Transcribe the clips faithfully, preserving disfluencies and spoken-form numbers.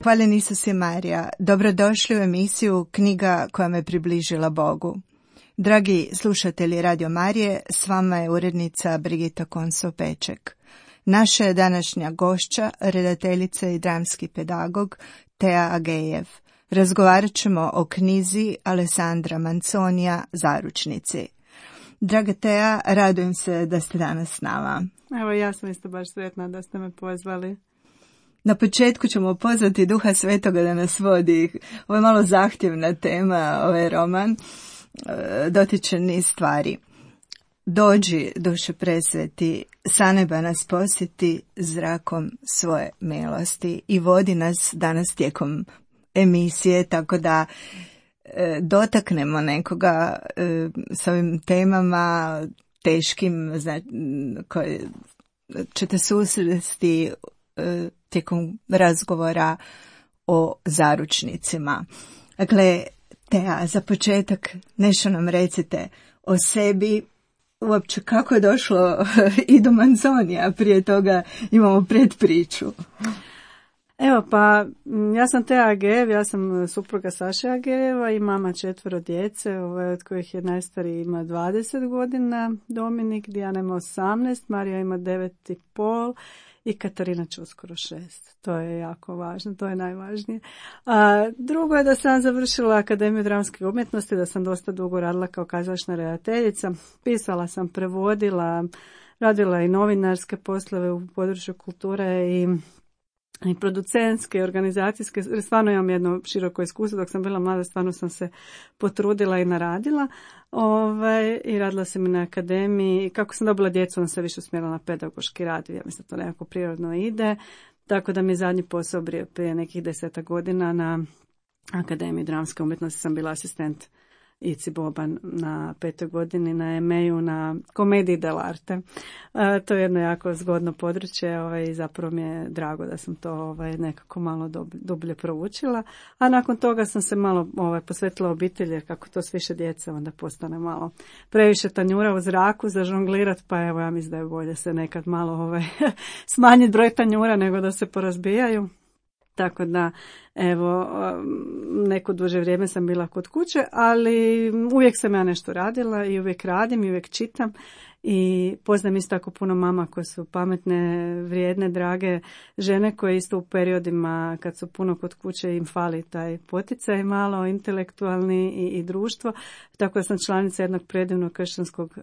Hvaljen Isus i Marija, dobrodošli u emisiju Knjiga koja me približila Bogu. Dragi slušatelji Radio Marije, s vama je urednica Brigita Konso-Peček. Naša je današnja gošća, redateljica i dramski pedagog Tea Agejev. Razgovarat ćemo o knjizi Alessandra Manzonija Zaručnici. Draga Tea, radujem se da ste danas s nama. Evo, ja sam isto baš sretna da ste me pozvali. Na početku ćemo pozvati Duha Svetoga da nas vodi. Ovo je malo zahtjevna tema, ovaj roman. Dotiče niz stvari. Dođi, Duše presveti, sa neba nas posjeti zrakom svoje milosti i vodi nas danas tijekom emisije, tako da e, dotaknemo nekoga e, s ovim temama teškim, znači, koje ćete susresti e, tijekom razgovora o zaručnicima. Dakle, Tea, za početak nešto nam recite o sebi, uopće kako je došlo i do Manzonija, prije toga imamo predpriču. Evo pa, ja sam Tea Agejev, ja sam supruga Saše Agejeva i mama četvero djece, ovaj, od kojih je najstariji ima dvadeset godina, Dominik, Dijana ima osamnaest, Marija ima devet i pol i Katarina će uskoro šest. To je jako važno, to je najvažnije. A, drugo je da sam završila Akademiju dramske umjetnosti, da sam dosta dugo radila kao kazališna redateljica. Pisala sam, prevodila, radila i novinarske poslove u području kulture i i producentske, organizacijske, stvarno imam jedno široko iskustvo, dok sam bila mlada stvarno sam se potrudila i naradila ovaj, i radila sam i na akademiji. Kako sam dobila djecu, onda se više usmjerila na pedagoški rad, ja mislim da to nekako prirodno ide, tako da mi je zadnji posao prije nekih deseta godina na Akademiji dramske umjetnosti sam bila asistent Ici Boban na petoj godini na em e u na komediji dell'arte. E, to je jedno jako zgodno područje ovaj, i zapravo mi je drago da sam to ovaj, nekako malo dublje proučila. A nakon toga sam se malo ovaj, posvetila obitelji, jer kako to s više djece onda postane malo previše tanjura u zraku za žonglirat, pa evo ja mislim da je bolje se nekad malo ovaj, smanjiti broj tanjura nego da se porazbijaju. Tako da, evo, neko duže vrijeme sam bila kod kuće, ali uvijek sam ja nešto radila i uvijek radim i uvijek čitam. I poznam isto tako puno mama koje su pametne, vrijedne, drage žene koje isto u periodima kad su puno kod kuće im fali taj poticaj malo intelektualni i, i društvo. Tako da sam članica jednog predivnog kršćanskog uh,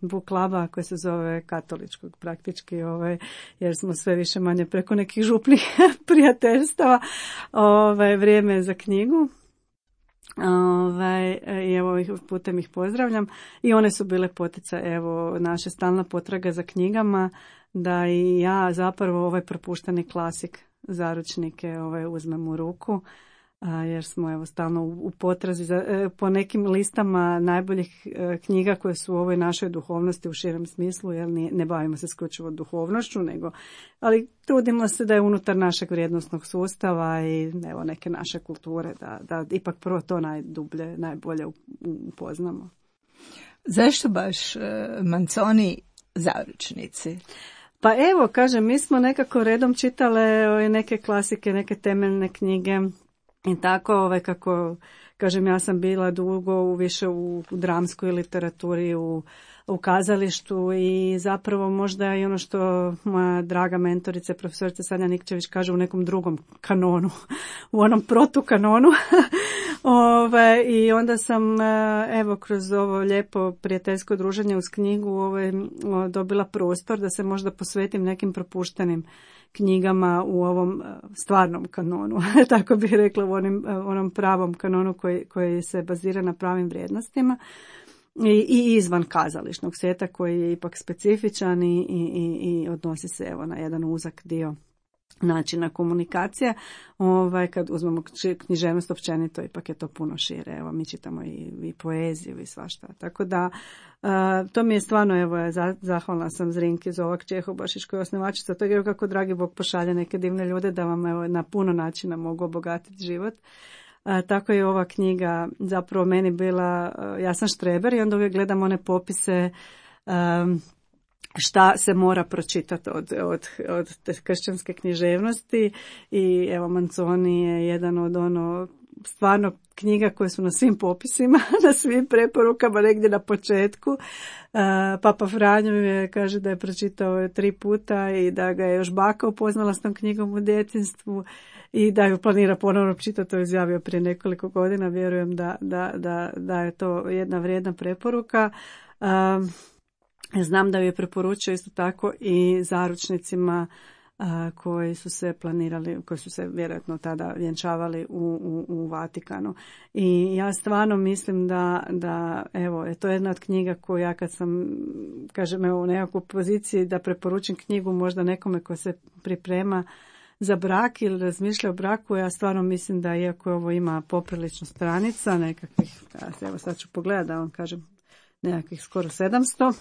book kluba koji se zove katoličkog praktički, ovaj, jer smo sve više manje preko nekih župnih prijateljstava. Ovaj, vrijeme je za knjigu. Ovaj, i evo putem ih pozdravljam i one su bile poticaj, evo naša stalna potraga za knjigama da i ja zapravo ovaj propušteni klasik Zaručnike ovaj, uzmem u ruku, a, jer smo evo stalno u, u potrazi za, e, po nekim listama najboljih e, knjiga koje su u ovoj našoj duhovnosti u širem smislu, jer ne, ne bavimo se isključivo duhovnošću, nego, ali trudimo se da je unutar našeg vrijednosnog sustava i evo neke naše kulture, da, da ipak prvo to najdublje, najbolje upoznamo. Zašto baš uh, Manzoni Zaručnici? Pa evo, kažem, mi smo nekako redom čitale neke klasike, neke temeljne knjige i tako, ovaj, kako kažem, ja sam bila dugo u, više u, u dramskoj literaturi, u, u kazalištu i zapravo možda i ono što moja draga mentorica, profesorica Sanja Nikčević kaže, u nekom drugom kanonu, u onom protukanonu. Ove, I onda sam, evo, kroz ovo lijepo prijateljsko druženje uz knjigu ove, dobila prostor da se možda posvetim nekim propuštenim knjigama u ovom stvarnom kanonu, tako bih rekla, u onim, onom pravom kanonu koji, koji se bazira na pravim vrijednostima i, i izvan kazališnog svijeta koji je ipak specifičan i, i, i odnosi se evo na jedan uzak dio načina komunikacije. Ovaj, kad uzmemo književnost općenito, ipak je to puno šire. Evo, mi čitamo i, i poeziju i svašta. Tako da, uh, to mi je stvarno, evo, ja zahvalna sam Zrinki Zovak Čehobašić koja je osnivačica toga, jer kako dragi Bog pošalje neke divne ljude da vam evo, na puno načina mogu obogatiti život. Uh, tako je ova knjiga zapravo meni bila, uh, ja sam štreber i onda uvijek gledam one popise um, šta se mora pročitati od, od, od te kršćanske književnosti i evo Manzoni je jedan od ono stvarno knjiga koje su na svim popisima, na svim preporukama negdje na početku. Uh, Papa Franjo je kaže da je pročitao tri puta i da ga je još baka upoznala s tom knjigom u djetinjstvu i da ju planira ponovno čitati, to je izjavio prije nekoliko godina. Vjerujem da, da, da, da je to jedna vrijedna preporuka. Um, Znam da ju je preporučio isto tako i zaručnicima a, koji su se planirali, koji su se vjerojatno tada vjenčavali u, u, u Vatikanu. I ja stvarno mislim da, da evo, je to jedna od knjiga koju ja kad sam, kažem, evo, u nekakvoj poziciji da preporučim knjigu možda nekome ko se priprema za brak ili razmišlja o braku, ja stvarno mislim da iako ovo ima poprilično stranica, nekakvih, evo sad ću pogledati da vam kažem, nekakvih skoro sedamsto,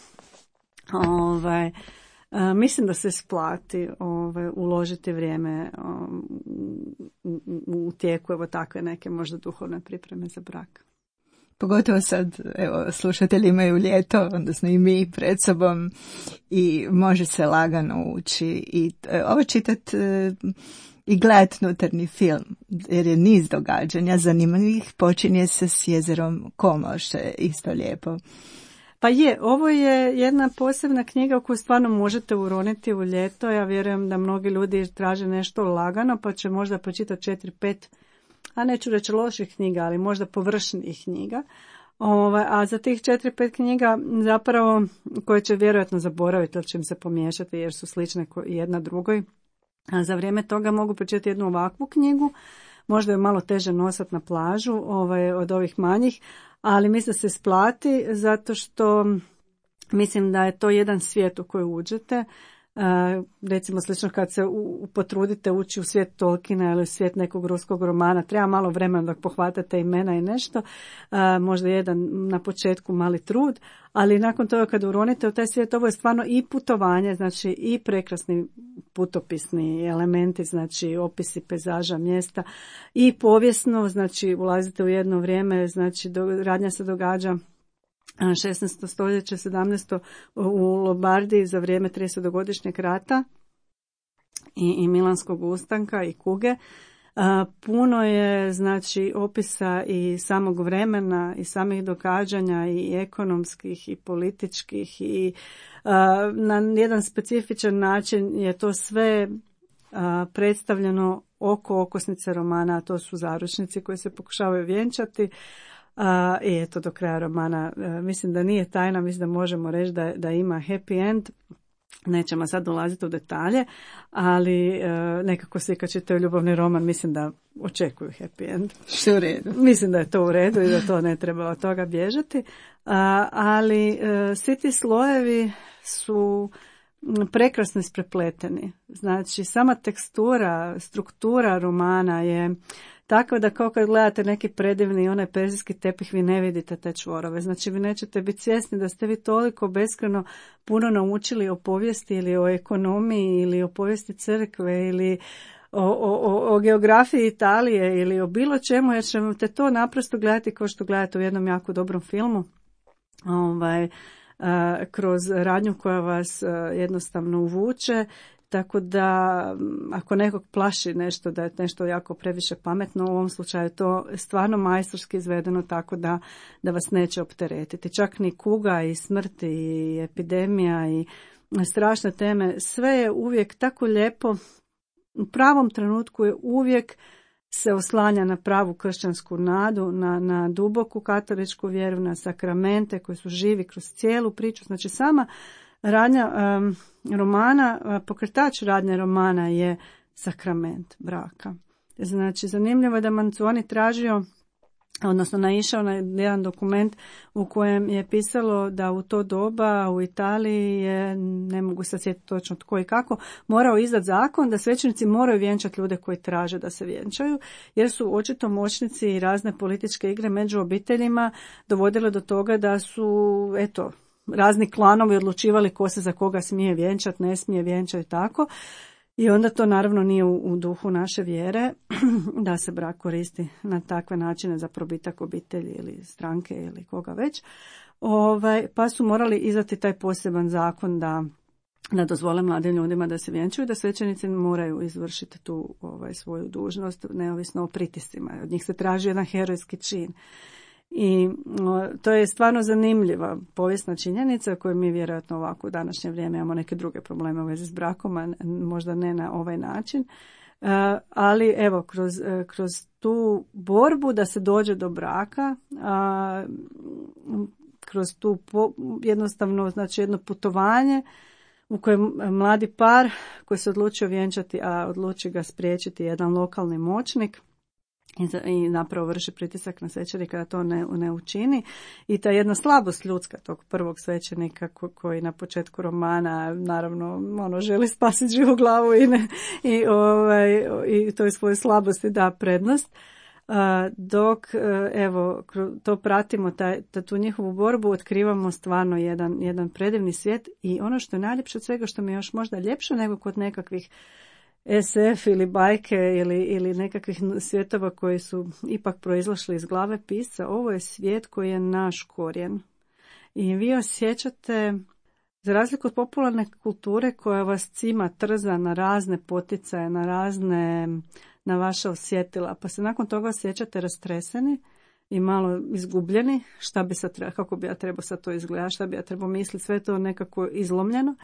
Ovaj, a, mislim da se isplati ovaj, uložiti vrijeme um, u, u, u tijeku evo takve neke možda duhovne pripreme za brak. Pogotovo sad, evo, slušatelji imaju ljeto, odnosno i mi pred sobom i može se lagano ući i e, ovo čitat e, i gledat unutarnji film, jer je niz događanja zanimljivih, počinje se s jezerom Como, što je isto lijepo. Pa je, ovo je jedna posebna knjiga u koju stvarno možete uroniti u ljeto. Ja vjerujem da mnogi ljudi traže nešto lagano, pa će možda pročitati četiri, pet, a neću reći loših knjiga, ali možda površnih knjiga. Ova, a za tih četiri, pet knjiga zapravo koje će vjerojatno zaboraviti, ali će im se pomiješati jer su slične jedna drugoj. A za vrijeme toga mogu pročitati jednu ovakvu knjigu, možda je malo teže nosati na plažu ovaj, od ovih manjih, ali mislim da se isplati zato što mislim da je to jedan svijet u koji uđete. Uh, recimo slično kad se u, potrudite ući u svijet Tolkiena ili u svijet nekog ruskog romana, treba malo vremena dok pohvatate imena i nešto, uh, možda jedan na početku mali trud, ali nakon toga kad uronite u taj svijet, ovo je stvarno i putovanje, znači i prekrasni putopisni elementi, znači opisi pejzaža, mjesta i povijesno, znači ulazite u jedno vrijeme, znači do, radnja se događa šesnaesto stoljeće, sedamnaesto u Lombardiji za vrijeme tridesetogodišnjeg rata i, i Milanskog ustanka i kuge. A, puno je znači opisa i samog vremena i samih događanja i ekonomskih i političkih i a, na jedan specifičan način je to sve a, predstavljeno oko okosnice romana, a to su zaručnici koji se pokušavaju vjenčati. Uh, I eto do kraja romana, uh, mislim da nije tajna, mislim da možemo reći da, da ima happy end, nećemo sad dolaziti u detalje, ali uh, nekako svi kad čitaju ljubavni roman mislim da očekuju happy end. Što u redu. Mislim da je to u redu i da to ne treba od toga bježati, uh, ali uh, svi ti slojevi su prekrasno isprepleteni. Znači sama tekstura, struktura romana je tako da kao kad gledate neki predivni onaj perzijski tepih, vi ne vidite te čvorove. Znači vi nećete biti svjesni da ste vi toliko beskreno puno naučili o povijesti ili o ekonomiji ili o povijesti crkve ili o, o, o geografiji Italije ili o bilo čemu, jer ćete to naprosto gledati kao što gledate u jednom jako dobrom filmu. Ovaj, kroz radnju koja vas jednostavno uvuče Tako da ako nekog plaši nešto da je nešto jako previše pametno, u ovom slučaju to je stvarno majstorski izvedeno tako da, da vas neće opteretiti. Čak ni kuga i smrt i epidemija i strašne teme, sve je uvijek tako lijepo, u pravom trenutku je uvijek se oslanja na pravu kršćansku nadu, na, na duboku katoličku vjeru, na sakramente koji su živi kroz cijelu priču. Znači sama radnja um, romana, pokretač radnje romana je sakrament braka. Znači zanimljivo je da Manzoni tražio, odnosno naišao na jedan dokument u kojem je pisalo da u to doba u Italiji je, ne mogu se sjetiti točno tko i kako, morao izdati zakon da svećenici moraju vjenčati ljude koji traže da se vjenčaju, jer su očito moćnici i razne političke igre među obiteljima dovodile do toga da su, eto, razni klanovi odlučivali ko se za koga smije vjenčati, ne smije vjenčati i tako. I onda to naravno nije u, u duhu naše vjere da se brak koristi na takve načine za probitak obitelji ili stranke ili koga već. Ovaj, pa su morali izdati taj poseban zakon da, da dozvole mladim ljudima da se vjenčuju, da svećenici moraju izvršiti tu ovaj, svoju dužnost neovisno o pritiscima. Od njih se traži jedan herojski čin. I o, to je stvarno zanimljiva povijesna činjenica koju mi vjerojatno ovako u današnje vrijeme imamo neke druge probleme u vezi s brakom, a možda ne na ovaj način. Uh, ali evo, kroz, uh, kroz tu borbu da se dođe do braka, uh, kroz tu po, jednostavno, znači jedno putovanje u kojem mladi par koji se odlučio vjenčati, a odluči ga spriječiti jedan lokalni moćnik, i napravo vrši pritisak na svećenika da to ne, ne učini. I ta jedna slabost ljudska tog prvog svećenika ko, koji na početku romana naravno ono želi spasiti živu glavu i, ne, i, ovaj, i toj svojoj slabosti da prednost. Uh, dok uh, evo to pratimo, taj, tu njihovu borbu, otkrivamo stvarno jedan, jedan predivni svijet i ono što je najljepše od svega, što mi je još možda ljepše nego kod nekakvih es ef ili bajke ili, ili nekakvih svjetova koji su ipak proizlašli iz glave pisca, ovo je svijet koji je naš korijen. I vi osjećate, za razliku od popularne kulture koja vas cima, trza na razne poticaje, na razne, na vaša osjetila, pa se nakon toga osjećate rastreseni i malo izgubljeni, šta bi sad treba, kako bi ja trebao sad to izgledati, šta bi ja trebao misliti, sve to nekako izlomljeno.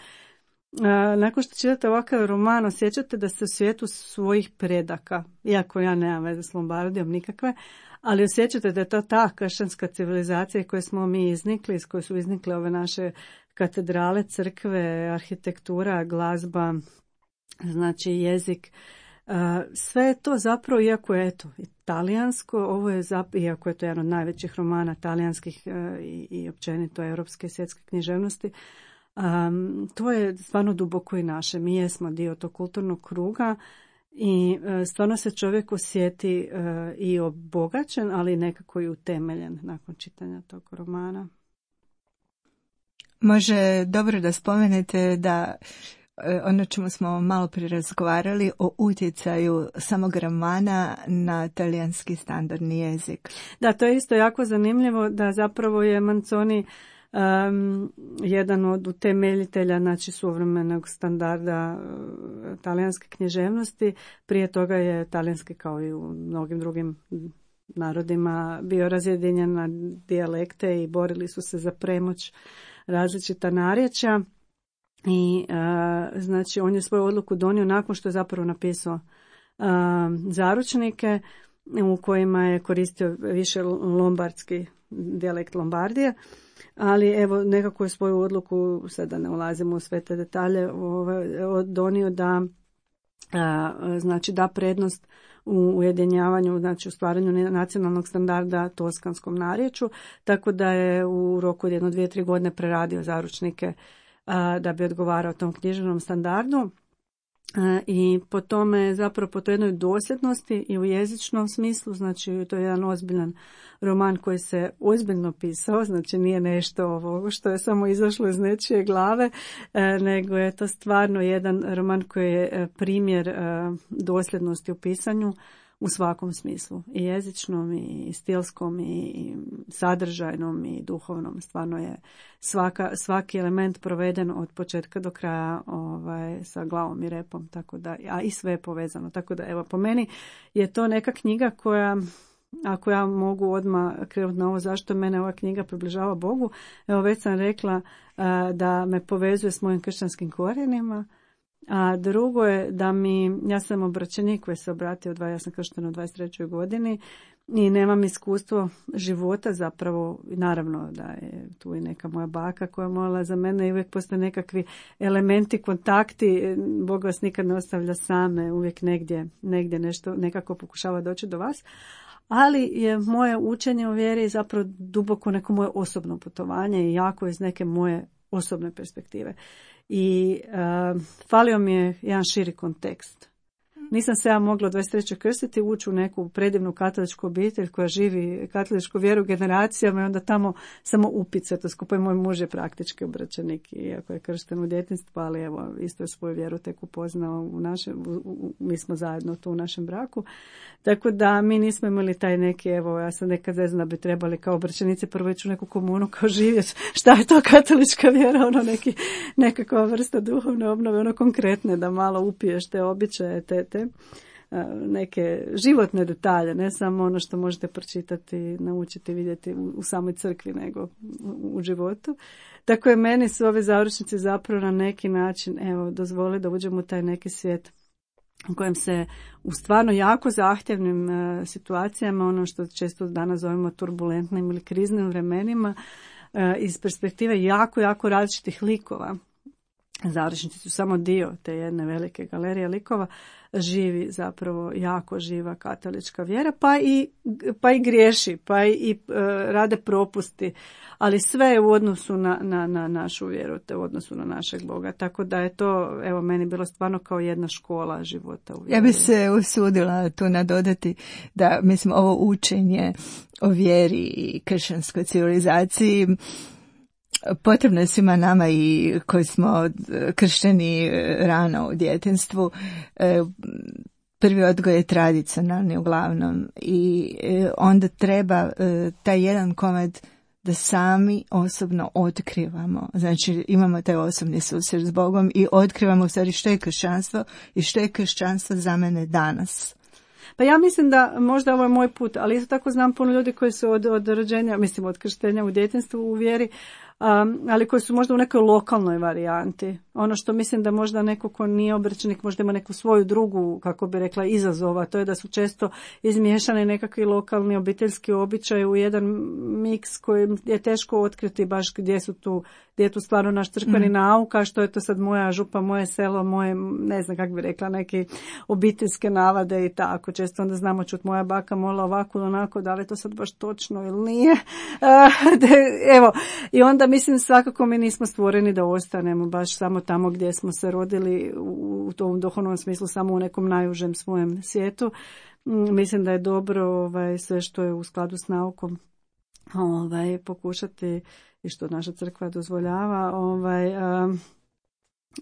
A, nakon što čitate ovakav roman, osjećate da ste u svijetu svojih predaka, iako ja nemam veze s Lombardijom nikakve, ali osjećate da je to ta kršćanska civilizacija koje smo mi iznikli, iz koje su iznikle ove naše katedrale, crkve, arhitektura, glazba, znači jezik. A, sve je to zapravo, iako je eto, italijansko, ovo je zapravo, iako je to jedan od najvećih romana talijanskih a, i, i općenito europske i svjetske književnosti, Um, to je stvarno duboko i naše. Mi jesmo dio tog kulturnog kruga i uh, stvarno se čovjek osjeti uh, i obogaćen, ali nekako i utemeljen nakon čitanja tog romana. Može dobro da spomenete da ono čemu smo malo prije razgovarali o utjecaju samog romana na talijanski standardni jezik. Da, to je isto jako zanimljivo da zapravo je Manzoni Um, jedan od utemeljitelja, znači suvremenog standarda uh, talijanske književnosti. Prije toga je talijanski, kao i u mnogim drugim narodima, bio razjedinjen na dijalekte i borili su se za premoć različita narječja. I uh, znači on je svoju odluku donio nakon što je zapravo napisao uh, zaručnike u kojima je koristio više lombardski dijalekt Lombardije. Ali evo nekako je svoju odluku, sada ne ulazimo u sve te detalje, donio da a, znači da prednost u ujedinjavanju, znači u stvaranju nacionalnog standarda toskanskom narječju, tako da je u roku od jedno, dvije, tri godine preradio zaručnike a, da bi odgovarao tom književnom standardu. I po tome, zapravo po toj jednoj dosljednosti i u jezičnom smislu, znači to je jedan ozbiljan roman koji se ozbiljno pisao, znači nije nešto ovo što je samo izašlo iz nečije glave, nego je to stvarno jedan roman koji je primjer dosljednosti u pisanju, u svakom smislu, i jezičnom, i stilskom, i sadržajnom, i duhovnom. Stvarno je svaka, svaki element proveden od početka do kraja ovaj, sa glavom i repom, tako da, a i sve je povezano. Tako da, evo, po meni je to neka knjiga koja, ako ja mogu odmah krenuti na ovo zašto mene ova knjiga približava Bogu, evo već sam rekla da me povezuje s mojim kršćanskim korijenima, a drugo je da mi, ja sam obraćenik koji se obratio, ja sam krštena u dvadeset trećoj godini i nemam iskustvo života zapravo, naravno da je tu i neka moja baka koja je molila za mene i uvijek postoje nekakvi elementi, kontakti, Bog vas nikad ne ostavlja same, uvijek negdje, negdje nešto nekako pokušava doći do vas. Ali je moje učenje u vjeri zapravo duboko neko moje osobno putovanje i jako iz neke moje osobne perspektive. I uh, falio mi je jedan širi kontekst. Nisam se ja mogla u dvadeset trećoj krstiti, ući u neku predivnu katoličku obitelj koja živi katoličku vjeru generacijama i onda tamo samo upice, to skupa i moj muž je praktički obraćenik, iako je kršten u djetinjstvu, ali evo, isto je svoju vjeru tek upoznao u našem, u, u, mi smo zajedno tu u našem braku. Tako da mi nismo imali taj neki, evo, ja sam nekad zezna da bi trebali kao obraćenici prvo ići u neku komunu, kao živjeti, šta je to katolička vjera, ono neki, nekakva vrsta duhovne obnove, ono konkretne, da malo upiješ te običaje, te, te neke životne detalje, ne samo ono što možete pročitati, naučiti, vidjeti u, u samoj crkvi, nego u, u životu. Tako je meni su ove završnice zapravo na neki način, evo, dozvoli da uđemo u taj neki svijet u kojem se u stvarno jako zahtjevnim uh, situacijama, ono što često danas zovemo turbulentnim ili kriznim vremenima, uh, iz perspektive jako, jako različitih likova. Završnici su samo dio te jedne velike galerije likova, živi zapravo jako živa katolička vjera, pa i, pa i griješi, pa i, i e, rade propusti, ali sve je u odnosu na, na, na našu vjeru, te u odnosu na našeg Boga, tako da je to, evo, meni bilo stvarno kao jedna škola života u vjeri. Ja bi se usudila tu nadodati da, mislim, ovo učenje o vjeri i kršćanskoj civilizaciji potrebno je svima nama i koji smo kršteni rano u djetinjstvu. Prvi odgoj je tradicionalni uglavnom i onda treba taj jedan komad da sami osobno otkrivamo. Znači imamo taj osobni susret s Bogom i otkrivamo u stvari što je kršćanstvo i što je kršćanstvo za mene danas. Pa ja mislim da možda ovo je moj put, ali isto tako znam puno ljudi koji su od, od rođenja, mislim od krštenja u djetinjstvu u vjeri, um, ali koji su možda u nekoj lokalnoj varijanti. Ono što mislim da možda neko ko nije obraćenik možda ima neku svoju drugu, kako bi rekla, izazova, to je da su često izmiješani nekakvi lokalni obiteljski običaji u jedan miks koji je teško otkriti baš gdje su tu, gdje je tu stvarno naš crkveni mm. nauk, a što je to sad moja župa, moje selo, moje, ne znam kako bi rekla, neke obiteljske navade i tako. Često onda znamo čut moja baka molila ovako ili onako, da li to sad baš točno ili nije. Evo, i onda mislim svakako mi nismo stvoreni da ostanemo baš samo tamo gdje smo se rodili u tom duhovnom smislu, samo u nekom najužem svojem svijetu. Mislim da je dobro ovaj, sve što je u skladu s naukom ovaj, pokušati i što naša crkva dozvoljava ovaj, um,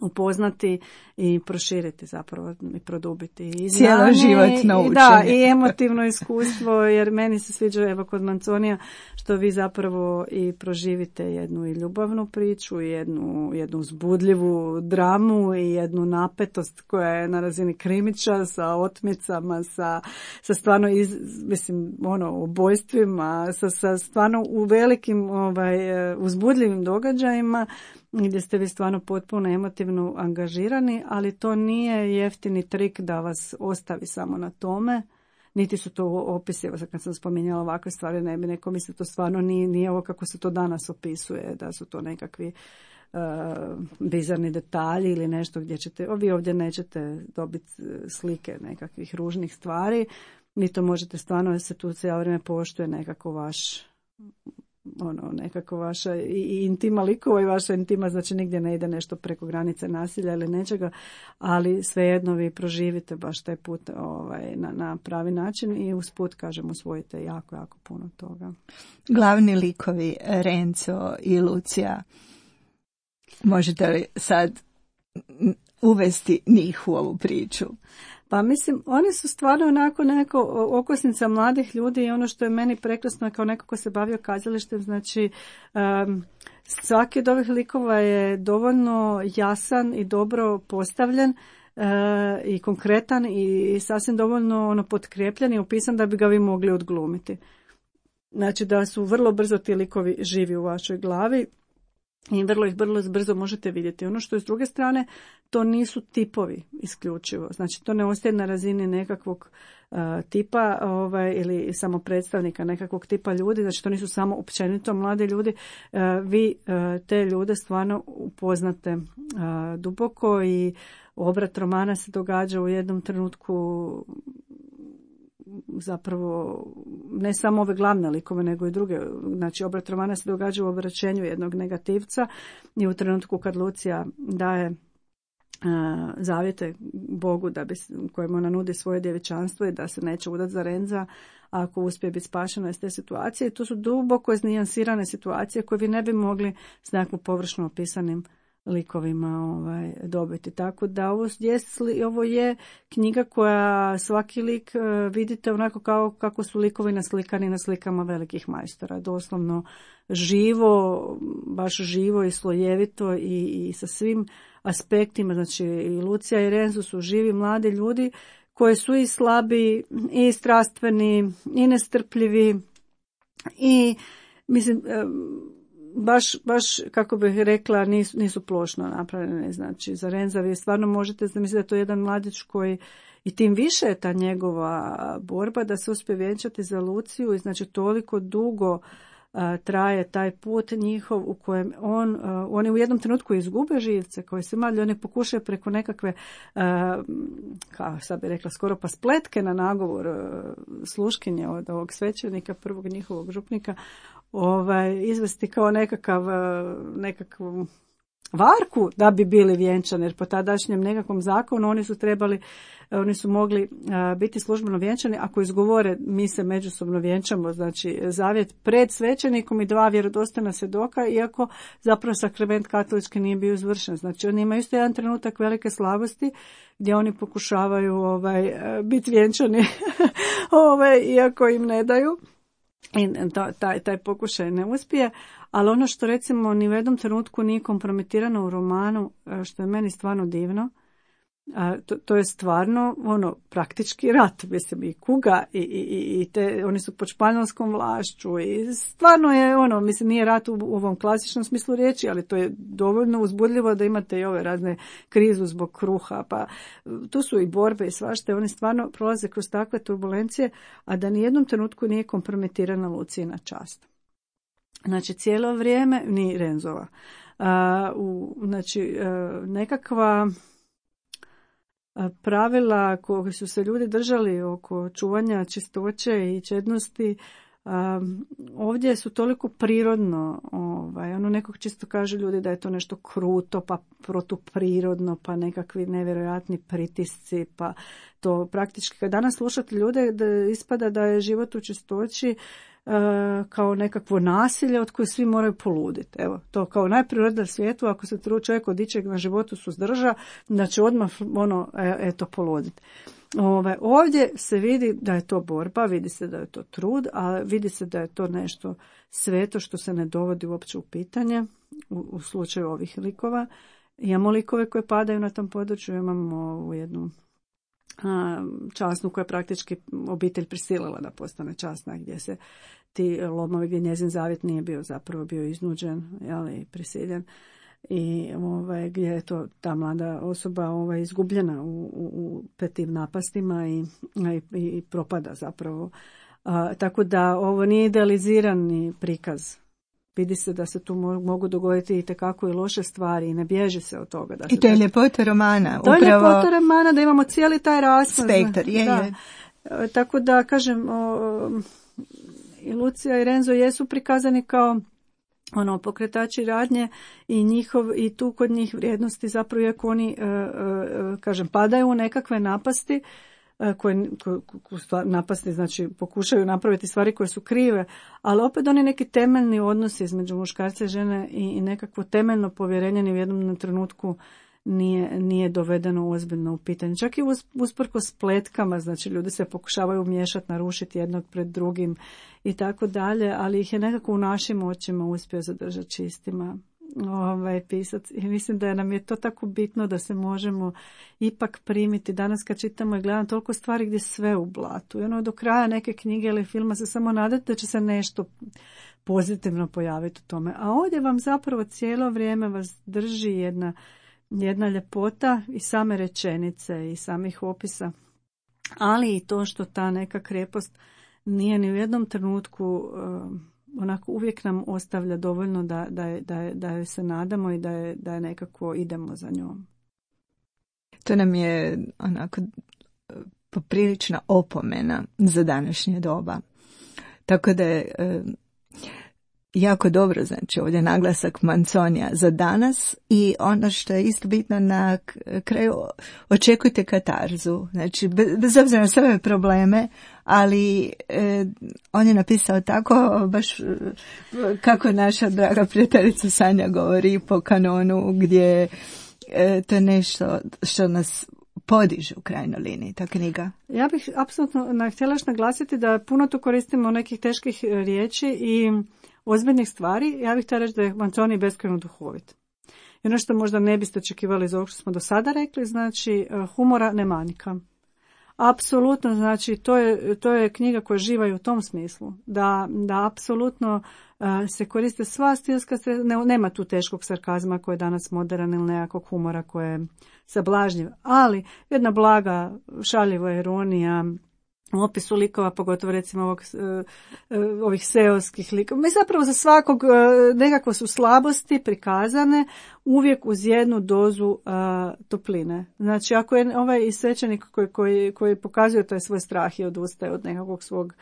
upoznati i proširiti zapravo i produbiti i cijelo životno učenje. Da, i emotivno iskustvo, jer meni se sviđa evo kod Manconija što vi zapravo i proživite jednu i ljubavnu priču, i jednu, jednu uzbudljivu dramu i jednu napetost koja je na razini krimića sa otmicama, sa, sa stvarno iz, mislim, ono, ubojstvima, sa, sa stvarno u velikim ovaj, uzbudljivim događajima gdje ste vi stvarno potpuno emotivno angažirani, ali to nije jeftini trik da vas ostavi samo na tome, niti su to opisi, evo kad sam spominjala ovakve stvari, ne bi neko misli, to stvarno nije, nije ovo kako se to danas opisuje, da su to nekakvi uh, bizarni detalji ili nešto gdje ćete, vi ovdje nećete dobiti slike nekakvih ružnih stvari, ni to možete stvarno, jer se tu cijelo vrijeme poštuje nekako vaš ono, nekako vaša i intima likova i vaša intima, znači nigdje ne ide nešto preko granice nasilja ili nečega, ali svejedno vi proživite baš taj put ovaj, na, na pravi način i usput, kažem, usvojite jako, jako puno toga. Glavni likovi Renzo i Lucija, možete li sad uvesti njih u ovu priču? Pa mislim, oni su stvarno onako neko okosnica mladih ljudi i ono što je meni prekrasno kao neko ko se bavio kazalištem, znači um, svaki od ovih likova je dovoljno jasan i dobro postavljen uh, i konkretan i, i sasvim dovoljno ono potkrijepljen i opisan da bi ga vi mogli odglumiti. Znači da su vrlo brzo ti likovi živi u vašoj glavi i vrlo ih vrlo brzo možete vidjeti. Ono što je s druge strane, to nisu tipovi isključivo. Znači to ne ostaje na razini nekakvog uh, tipa ovaj, ili samo predstavnika nekakvog tipa ljudi. Znači to nisu samo općenito mladi ljudi. Uh, vi uh, te ljude stvarno upoznate uh, duboko i obrat romana se događa u jednom trenutku zapravo ne samo ove glavne likove, nego i druge. Znači, obrat romana se događa u obraćenju jednog negativca i u trenutku kad Lucija daje a, zavjete Bogu da bi, kojemu ona nudi svoje djevičanstvo i da se neće udati za Renza ako uspije biti spašena iz te situacije. I to su duboko iznijansirane situacije koje vi ne bi mogli s nekakvom površno opisanim likovima ovaj, dobiti. Tako da ovo je, ovo je knjiga koja svaki lik uh, vidite onako kao kako su likovi naslikani na slikama velikih majstora. Doslovno živo, baš živo i slojevito i, i sa svim aspektima. Znači i Lucija i Renzo su živi mladi ljudi koji su i slabi i strastveni i nestrpljivi i mislim Baš, baš, kako bih rekla, nisu, nisu plošno napravljene. Znači, za Renza vi stvarno možete zamisliti da je to jedan mladić koji, i tim više je ta njegova borba da se uspije vjenčati za Luciju i znači toliko dugo uh, traje taj put njihov u kojem on, uh, oni u jednom trenutku izgube živce koji se mali, oni pokušaju preko nekakve, uh, kao sad bi rekla, skoro pa spletke na nagovor uh, sluškinje od ovog svećenika, prvog njihovog župnika, ovaj, izvesti kao nekakav, nekakvu varku da bi bili vjenčani, jer po tadašnjem nekakvom zakonu oni su trebali, oni su mogli uh, biti službeno vjenčani ako izgovore mi se međusobno vjenčamo, znači zavjet pred svećenikom i dva vjerodostojna svjedoka, iako zapravo sakrament katolički nije bio izvršen. Znači oni imaju isto jedan trenutak velike slabosti gdje oni pokušavaju ovaj, biti vjenčani ovaj, iako im ne daju. I taj, taj pokušaj ne uspije, ali ono što recimo ni u jednom trenutku nije kompromitirano u romanu, što je meni stvarno divno, to, to je stvarno ono praktički rat, mislim i kuga i, i, i te, oni su pod španjolskom vlašću i stvarno je ono, mislim nije rat u, u ovom klasičnom smislu riječi, ali to je dovoljno uzbudljivo da imate i ove razne krizu zbog kruha, pa tu su i borbe i svašta, oni stvarno prolaze kroz takve turbulencije, a da ni jednom trenutku nije kompromitirana Lucijina čast. Znači cijelo vrijeme, ni Renzova, a, u, znači a, nekakva pravila koje su se ljudi držali oko čuvanja čistoće i čednosti, um, ovdje su toliko prirodno, ovaj, ono nekog čisto kaže ljudi da je to nešto kruto, pa protuprirodno, pa nekakvi nevjerojatni pritisci, pa to praktički kad danas slušate ljude da ispada da je život u čistoći Uh, kao nekakvo nasilje od koje svi moraju poluditi. Evo, to kao najprirodnije svijetu, ako se čovjek od ičeg na životu suzdrža, da će odmah ono, eto, poluditi. Ove, ovdje se vidi da je to borba, vidi se da je to trud, a vidi se da je to nešto sveto što se ne dovodi uopće u pitanje u, u slučaju ovih likova. Imamo likove koje padaju na tom području, imamo u jednu časnu koja je praktički obitelj prisilila da postane časna, gdje se ti lomovi, gdje njezin zavjet nije bio zapravo bio iznuđen, jeli, prisiljen i ovaj, gdje je to ta mlada osoba ovaj, izgubljena u, u, u petim napastima i, i, i propada zapravo. A, tako da ovo nije idealizirani prikaz. Vidi se da se tu mogu dogoditi i tekako i loše stvari i ne bježi se od toga. Da se I to je ljepota romana. To upravo... je ljepota romana da imamo cijeli taj raspon. Spektar, je, da. je. Tako da, kažem, o, i Lucija i Renzo jesu prikazani kao ono pokretači radnje i njihov i tu kod njih vrijednosti zapravo iako oni, e, e, kažem, padaju u nekakve napasti, koje, koje, koje napasti, znači pokušaju napraviti stvari koje su krive, ali opet oni neki temeljni odnosi između muškarca i žene i, i nekakvo temeljno povjerenje ni u jednom trenutku nije, nije dovedeno ozbiljno u pitanje. Čak i us, usprkos spletkama, znači ljudi se pokušavaju miješati, narušiti jednog pred drugim i tako dalje, ali ih je nekako u našim očima uspio zadržati čistima. Ovaj pisac. I mislim da nam je to tako bitno da se možemo ipak primiti. Danas kad čitamo i gledam toliko stvari gdje sve u blatu. I ono do kraja neke knjige ili filma se samo nadate da će se nešto pozitivno pojaviti u tome. A ovdje vam zapravo cijelo vrijeme vas drži jedna, jedna ljepota i same rečenice i samih opisa. Ali i to što ta neka krepost nije ni u jednom trenutku uh, onako uvijek nam ostavlja dovoljno da, da, je, da, je, da je se nadamo i da je, da je nekako idemo za njom. To nam je onako poprilična opomena za današnje doba. Tako da je e, jako dobro, znači ovdje naglasak Manzonija za danas i ono što je isto bitno na kraju, očekujte katarzu. Znači bez obzira na sve probleme, ali e, on je napisao tako, baš kako naša draga prijateljica Sanja govori po kanonu, gdje e, to je nešto što nas podiže u krajnjoj liniji, ta knjiga. Ja bih apsolutno htjela još naglasiti da puno tu koristimo nekih teških riječi i ozbiljnih stvari. Ja bih htjela reći da je Manzoni beskrajno duhovit. I ono što možda ne biste očekivali iz ovog što smo do sada rekli, znači humora ne manjka. Apsolutno, znači to je, to je knjiga koja živa i u tom smislu, da, da apsolutno uh, se koriste sva stilska sredstva, ne, nema tu teškog sarkazma koji je danas modern ili nekakvog humora koji je sablažnjiv, ali jedna blaga, šaljiva ironija, u opisu likova, pogotovo recimo ovog, uh, ovih seoskih likova. Mi zapravo za svakog uh, nekako su slabosti prikazane uvijek uz jednu dozu uh, topline. Znači ako je ovaj i svećenik koji, koji, koji pokazuje taj svoj strah i odustaje od nekakvog svog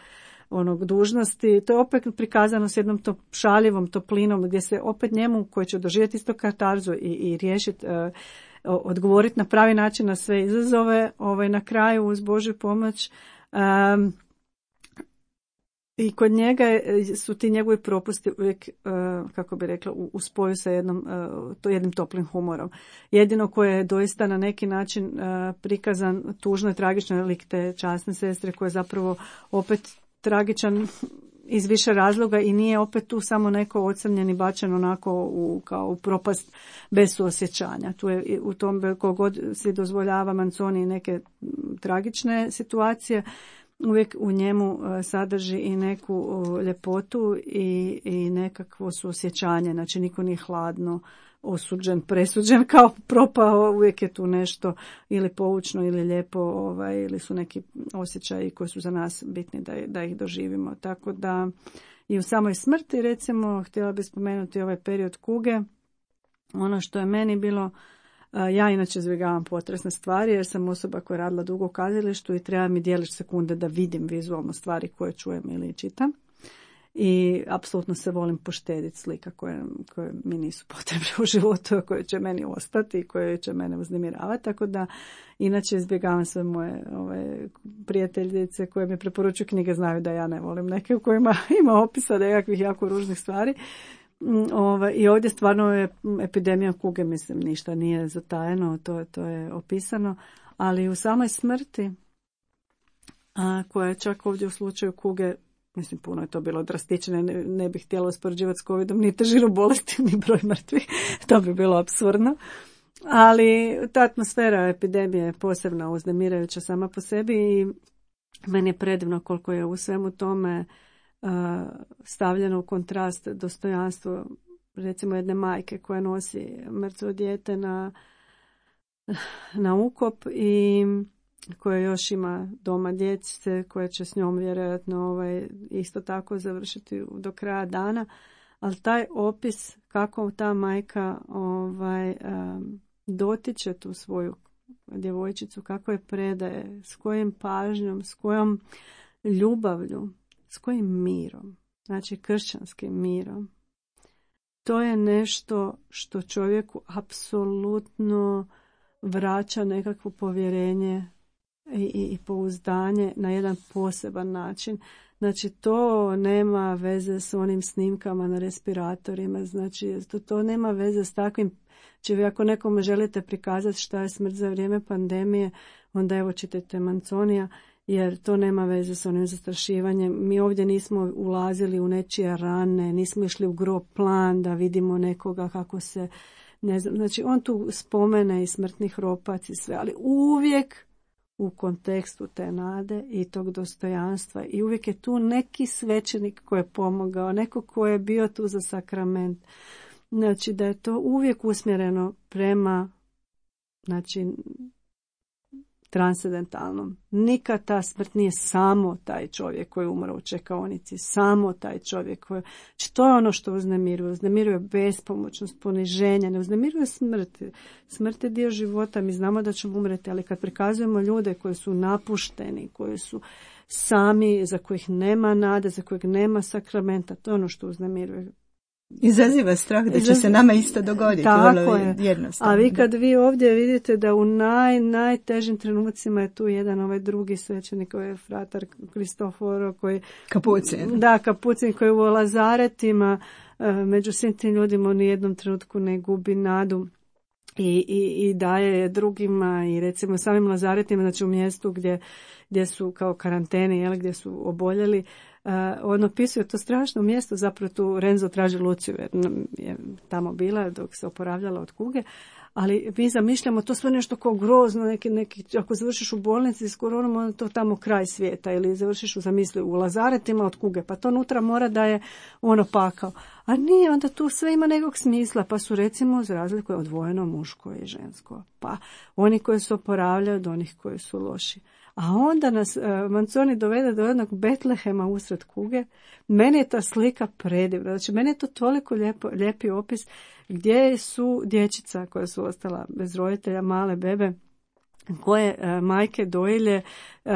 onog dužnosti, to je opet prikazano s jednom top, šaljivom toplinom gdje se opet njemu koji će doživjeti isto katarzu i, i riješiti uh, odgovoriti na pravi način na sve izazove, ovaj, na kraju uz Božju pomoć. Um, I kod njega su ti njegovi propusti uvijek, uh, kako bi rekla, u, u spoju sa jednom, uh, to jednim toplim humorom. Jedino koje je doista na neki način uh, prikazan tužno i tragično lik te časne sestre koje je zapravo opet tragičan iz više razloga i nije opet tu samo neko ocrnjen i bačen onako u, kao u propast bez suosjećanja. Tu je u tom kogod se dozvoljava Manzoni neke tragične situacije, uvijek u njemu sadrži i neku ljepotu i, i nekakvo suosjećanje. Znači niko nije hladno osuđen, presuđen kao propao, uvijek je tu nešto ili poučno ili lijepo, ovaj, ili su neki osjećaji koji su za nas bitni da, da ih doživimo. Tako da i u samoj smrti, recimo, htjela bih spomenuti ovaj period kuge. Ono što je meni bilo, ja inače izbjegavam potresne stvari jer sam osoba koja je radila dugo u kazalištu i treba mi dijelić sekunde da vidim vizualno stvari koje čujem ili čitam. I apsolutno se volim poštediti slika koje, koje mi nisu potrebne u životu, koje će meni ostati i koje će mene uznemiravati. Tako da inače izbjegavam sve moje ove, prijateljice koje mi preporučuju knjige, znaju da ja ne volim neke u kojima ima opisa nekakvih jako ružnih stvari. Ove, I ovdje stvarno je epidemija kuge, mislim, ništa nije zatajeno, to, to je opisano. Ali u samoj smrti, a, koja je čak ovdje u slučaju kuge, mislim, puno je to bilo drastično, ne, ne bih htjela uspoređivati s covidom, ni težinu bolesti, ni broj mrtvih, to bi bilo apsurdno. Ali ta atmosfera epidemije je posebno uznemirajuća sama po sebi i meni je predivno koliko je u svemu tome uh, stavljeno u kontrast dostojanstvo, recimo jedne majke koja nosi mrtvo dijete na, na ukop i koja još ima doma djece koje će s njom vjerojatno ovaj, isto tako završiti do kraja dana, ali taj opis kako ta majka ovaj, um, dotiče tu svoju djevojčicu, kako je predaje, s kojim pažnjom, s kojom ljubavlju, s kojim mirom, znači kršćanskim mirom. To je nešto što čovjeku apsolutno vraća nekakvo povjerenje i, i pouzdanje na jedan poseban način. Znači, to nema veze s onim snimkama na respiratorima, znači, to, to nema veze s takvim. Znači, vi ako nekome želite prikazati šta je smrt za vrijeme pandemije, onda evo čitajte Manzonija, jer to nema veze s onim zastrašivanjem. Mi ovdje nismo ulazili u nečije rane, nismo išli u grob plan da vidimo nekoga kako se, ne znam, znači on tu spomene i smrtni hropac i sve, ali uvijek u kontekstu te nade i tog dostojanstva i uvijek je tu neki svećenik koji je pomogao, neko ko je bio tu za sakrament. Znači da je to uvijek usmjereno prema, znači, transcendentalnom. Nikad ta smrt nije samo taj čovjek koji je umro u čekaonici, samo taj čovjek koji... Znači, to je ono što uznemiruje. Uznemiruje bespomoćnost, poniženje, ne uznemiruje smrt. Smrt je dio života, mi znamo da ćemo umreti, ali kad prikazujemo ljude koji su napušteni, koji su sami, za kojih nema nade, za kojih nema sakramenta, to je ono što uznemiruje. Izaziva strah da će se nama isto dogoditi. Tako je. Jednostavno. A vi kad vi ovdje vidite da u naj, najtežim trenucima je tu jedan ovaj drugi svećenik, ovaj fratar Kristoforo koji... Kapucin. Da, Kapucin koji u Lazaretima među svim tim ljudima u nijednom trenutku ne gubi nadu i, i, i daje je drugima i recimo samim Lazaretima, znači u mjestu gdje, gdje su kao karanteni, jel, gdje su oboljeli. Uh, on opisuje to strašno mjesto, zapravo tu Renzo traži Luciju jer je tamo bila dok se oporavljala od kuge, ali mi zamišljamo to sve nešto kao grozno, neki, neki, ako završiš u bolnici s koronom, onda to tamo kraj svijeta, ili završiš u zamisli u Lazaretima od kuge, pa to unutra mora da je ono pakao. A nije, onda tu sve ima nekog smisla, pa su recimo za razliku odvojeno muško i žensko, pa oni koji se oporavljaju od onih koji su loši. A onda nas uh, Manzoni dovede do jednog Betlehema usred kuge. Meni je ta slika predivna. Znači, meni je to toliko lijepo, lijepi opis gdje su dječica koja su ostala bez roditelja, male bebe, koje uh, majke dojilje, uh,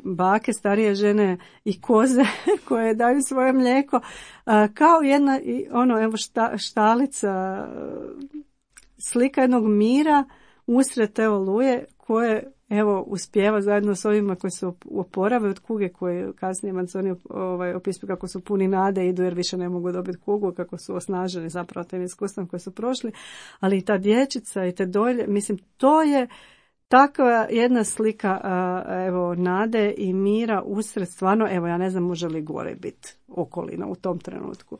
bake, starije žene i koze koje daju svoje mlijeko. Uh, kao jedna i ono, evo šta, štalica, uh, slika jednog mira usred te oluje koje evo uspijeva zajedno s ovima koji se oporave od kuge, koje kasnije Manzoni ovaj, opisuju kako su puni nade, idu jer više ne mogu dobiti kugu, kako su osnaženi zapravo tim iskustvom koje su prošli, ali i ta dječica i te dolje, mislim, to je takva jedna slika evo nade i mira usred, stvarno, evo ja ne znam može li gore biti okolina u tom trenutku.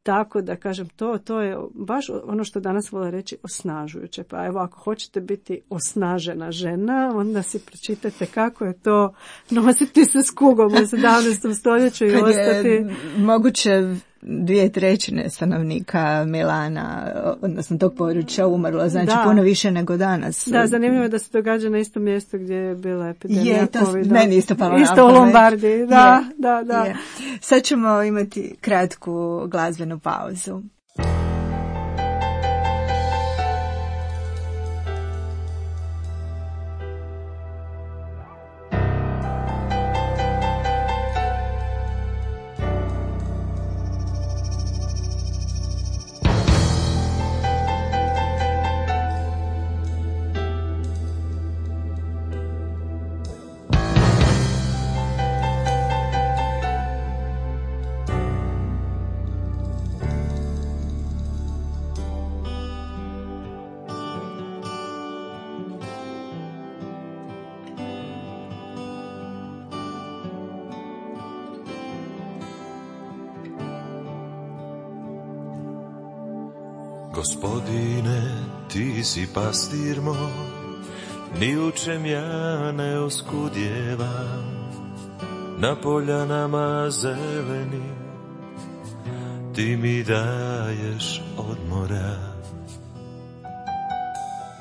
Tako da kažem, to, to je baš ono što danas vole reći osnažujuće. Pa evo, ako hoćete biti osnažena žena, onda si pročitajte kako je to nositi se s kugom u sedamnaestom stoljeću i kad ostati... Je moguće dvije trećine stanovnika Milana, odnosno tog područja umrlo, znači da. Puno više nego danas. Da, zanimljivo je da se događa na istom mjestu gdje je bila epidemija je, to, covida. Meni isto palo na Isto u Lombardiji, da, je, da, da. Je. Sad ćemo imati kratku glazbenu pauzu. Gospodine, ti si pastir moj, ni u čem ja ne oskudjevam. Na poljanama zeleni ti mi daješ odmora.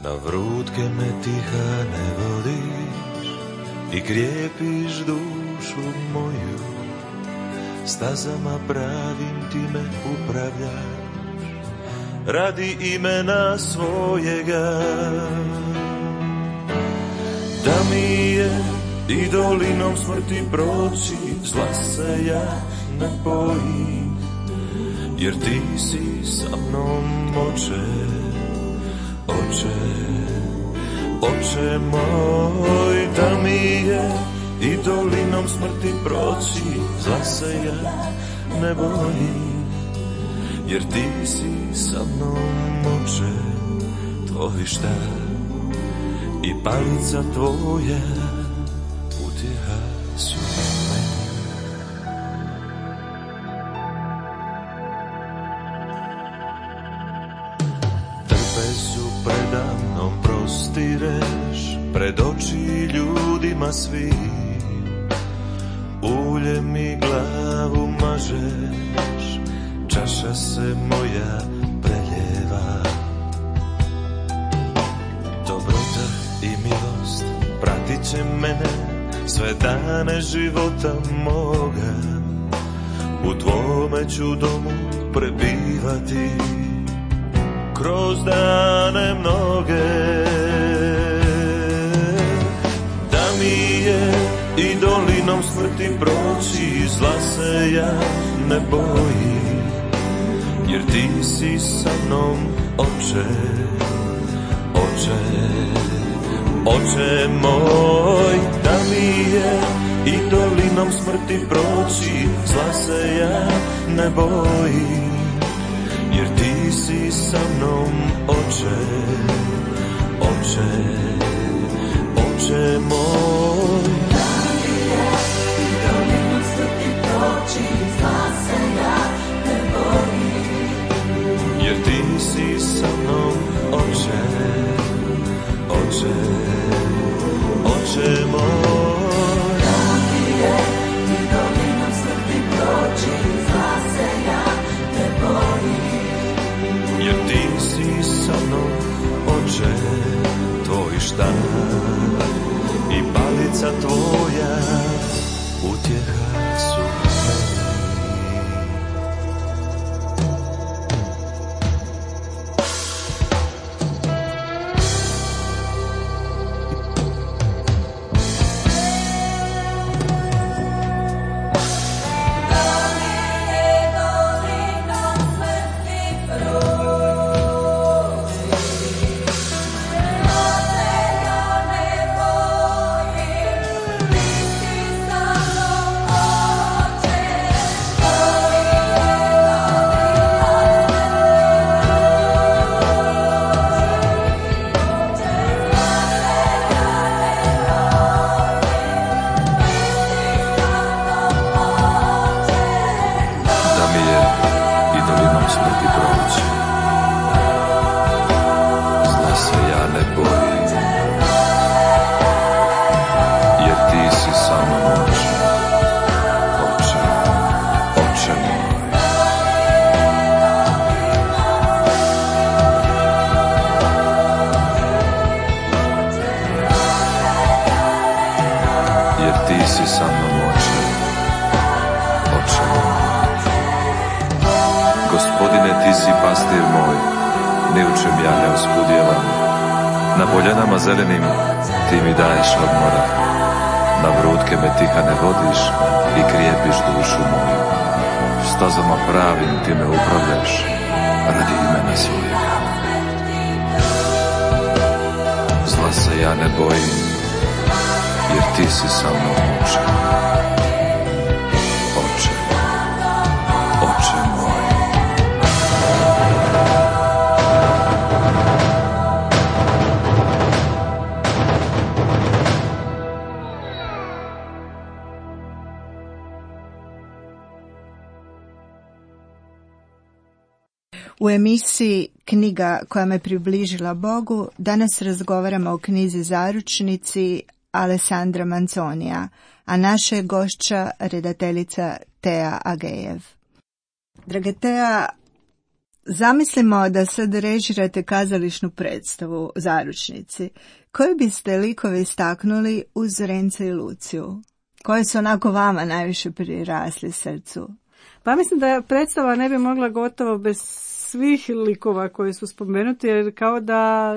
Na vrutke me tiha ne vodiš i krijepiš dušu moju. Stazama pravim ti me upravljaš radi imena svojega. Da mi je i dolinom smrti proći, zla se ja ne bojim, jer ti si sa mnom, oče, oče. Oče moj, da mi je i dolinom smrti proći, zla se ja ne bojim, jer ti si sa mnom, Oče, tvoj štap i palica tvoja utjeha su meni. Trpezu predamnom prostireš, pred oči ljudima svi, ulje mi glavu mažeš, čaša se moja preljeva. Dobrota i milost pratit će mene sve dane života moga, u tvome ću domu prebivati kroz dane mnoge. Da mi je i dolinom smrti proći, zla se ja ne bojim, jer ti si sa mnom, Oče, Oče, Oče moj. Da mi je i dolinom smrti proći, zla se ja ne bojim, jer ti si sa mnom, Oče, Oče, Oče moj. Da mi je i dolinom smrti proći, zla se ja ne bojim, jer ti si sa mnom, Oče, Oče, Oče moj. da mi je i dolinom smrti proći, zla se ja ne bojim, Jer ti si sa mnom, Oče, tvoj štap i palica tvoja utjeha su meni. Zelenim ti mi daješ odmora, na vrutke me tihane vodiš i krijepiš dušu moju. Stazama pravim ti me upravljaš, radi imena svojega. Zla se ja ne bojim, jer ti si sa mnom, Oče, Oče, Oče moj. U emisiji Knjiga koja me približila Bogu danas razgovaramo o knjizi Zaručnici Alessandra Manzonija, a naša je gošća redateljica Tea Agejev. Drage Tea, zamislimo da sad režirate kazališnu predstavu Zaručnici. Koje biste likove istaknuli uz Renca i Luciju? Koje su onako vama najviše prirasli srcu? Pa mislim da predstava ne bi mogla gotovo bez svih likova koji su spomenuti, jer kao da